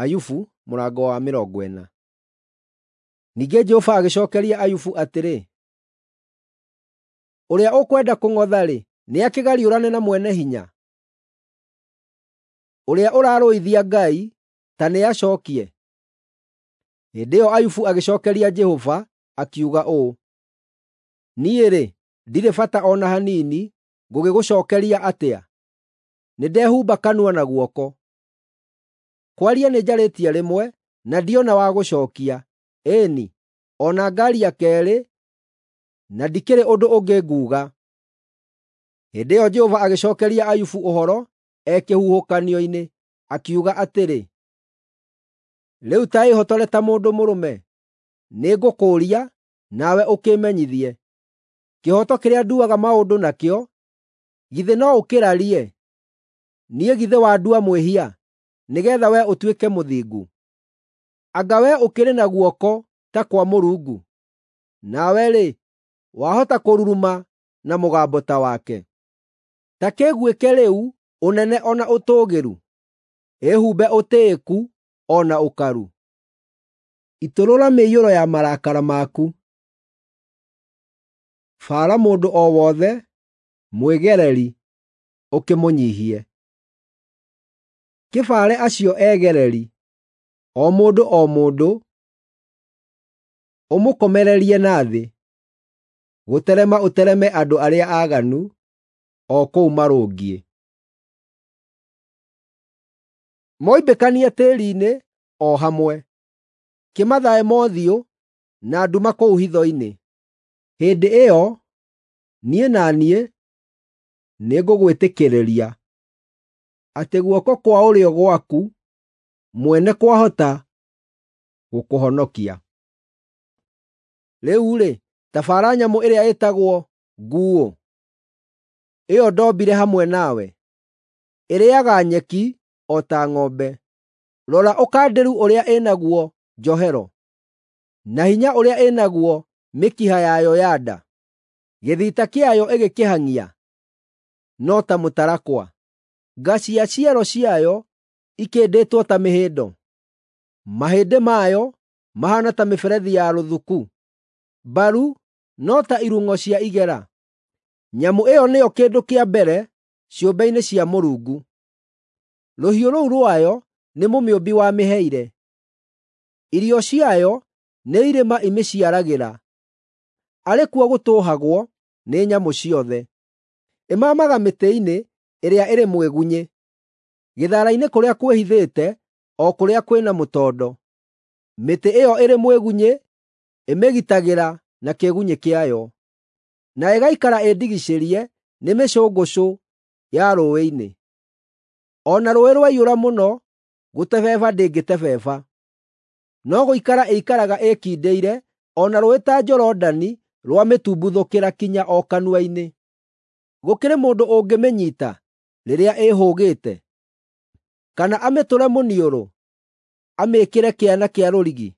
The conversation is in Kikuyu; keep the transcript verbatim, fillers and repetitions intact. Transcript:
Ayubu mũrango wa mĩrongo ĩna. Ningĩ Jehova agĩcookeria Ayubu atĩrĩ, “Ũrĩa ũkwenda kũng'otha-rĩ, nĩakĩgariũrane na Mwene-Hinya? Ũrĩa ũrarũithia Ngai, ta nĩacookie!” Hĩndĩ ĩyo Ayubu agĩcookeria Jehova, akiuga ũũ: “Niĩ-rĩ, ndirĩ bata o na hanini, ngũgĩgũcookeria atĩa? Nĩndehumba kanua na guoko. Kwaria nĩnjarĩtie rĩmwe, na ndiona wa gũcookia; ĩĩ-ni, o na ngaaria keerĩ, na ndikĩrĩ ũndũ ũngĩ nguuga.” Hĩndĩ ĩyo Jehova agĩcookeria Ayubu ũhoro e kĩhuhũkanio-inĩ, akiuga atĩrĩ, “Rĩu ta ĩĩhotore ta mũndũ mũrũme; nĩngũkũũria, nawe ũkĩĩmenyithie. Kĩhooto kĩrĩa nduaga maũndũ nakĩo, githĩ no ũkĩrarie? Niĩ githĩ wandua mwĩhia, nĩgeetha wee ũtuĩke mũthingu? Anga wee ũkĩrĩ na guoko ta kwa Mũrungu? Nawe-rĩ, wahota kũruruma na mũgambo ta wake? Ta kĩguĩke rĩu ũnene o na ũtũũgĩru; ĩhumbe ũtĩĩku o na ũkaru. Itũrũra mĩiyũro ya marakara maku; baara mũndũ o wothe mwĩgereri ũkĩmũnyiihie. Kĩbaare acio egereri, o mũndũ o mũndũ, ũmũkomererie na thĩ; gũterema ũtereme andũ arĩa aaganu, o kũu marũngiĩ. Moimbĩkanie tĩĩri-inĩ o hamwe; kĩmathae mothiũ na nduma kũu hitho-inĩ. Hĩndĩ ĩyo niĩ na niĩ nĩngũgwĩtĩkĩrĩria atĩ guoko kwa ũrĩo gwaku mwene kwahota gũkũhonokia. Rĩu-rĩ, ta baara nyamũ ĩrĩa ĩtagwo nguuũ, ĩyo ndombire hamwe nawe. Ĩrĩĩaga nyeki o ta ng'ombe. Rora ũkandĩru ũrĩa ĩ naguo njohero, na hinya ũrĩa ĩ naguo mĩkiha yayo ya nda. Gĩthita kĩayo ĩgĩkĩhang'ia no ta mũtarakwa, nga cia ciero ciayo ikĩndĩtwo ta mĩhĩndo. Mahĩndĩ mayo mahaana ta mĩberethi ya rũthuku, mbaru no ta irung'o cia igera. Nyamũ ĩyo nĩyo kĩndũ kĩa mbere ciũmbe-inĩ cia Mũrungu; rũhiũ rũu rwayo nĩ Mũmĩũmbi wamĩheire. Irio ciayo nĩ irĩma imĩciaragĩra, arĩ kuo gũtũũhagwo nĩ nyamũ ciothe. Ĩmaamaga mĩtĩ-inĩ ĩrĩa ĩrĩ mwĩgunyĩ, gĩthara-inĩ kũrĩa kwĩhithĩte o kũrĩa kwĩ na mũtondo. Mĩtĩ ĩyo ĩrĩ mwĩgunyĩ ĩmĩgitagĩra na kĩĩgunyĩ kĩayo, na ĩgaikara ĩndigicĩrie nĩ mĩcũngũcũ ya rũũĩ-inĩ. O na rũũĩ rwaiyũra mũno, gũtebeba ndĩngĩtebeba; no gũikara ĩikaraga ĩĩkindĩire, o na rũũĩ ta Jorodani rwamĩtumbuthũkĩra kinya o kanua-inĩ. Gũkĩrĩ mũndũ ũngĩmĩnyiita rĩrĩa ĩĩhũgĩte, kana amĩtũre mũniũrũ, amĩĩkĩre kĩana kĩa rũrigi?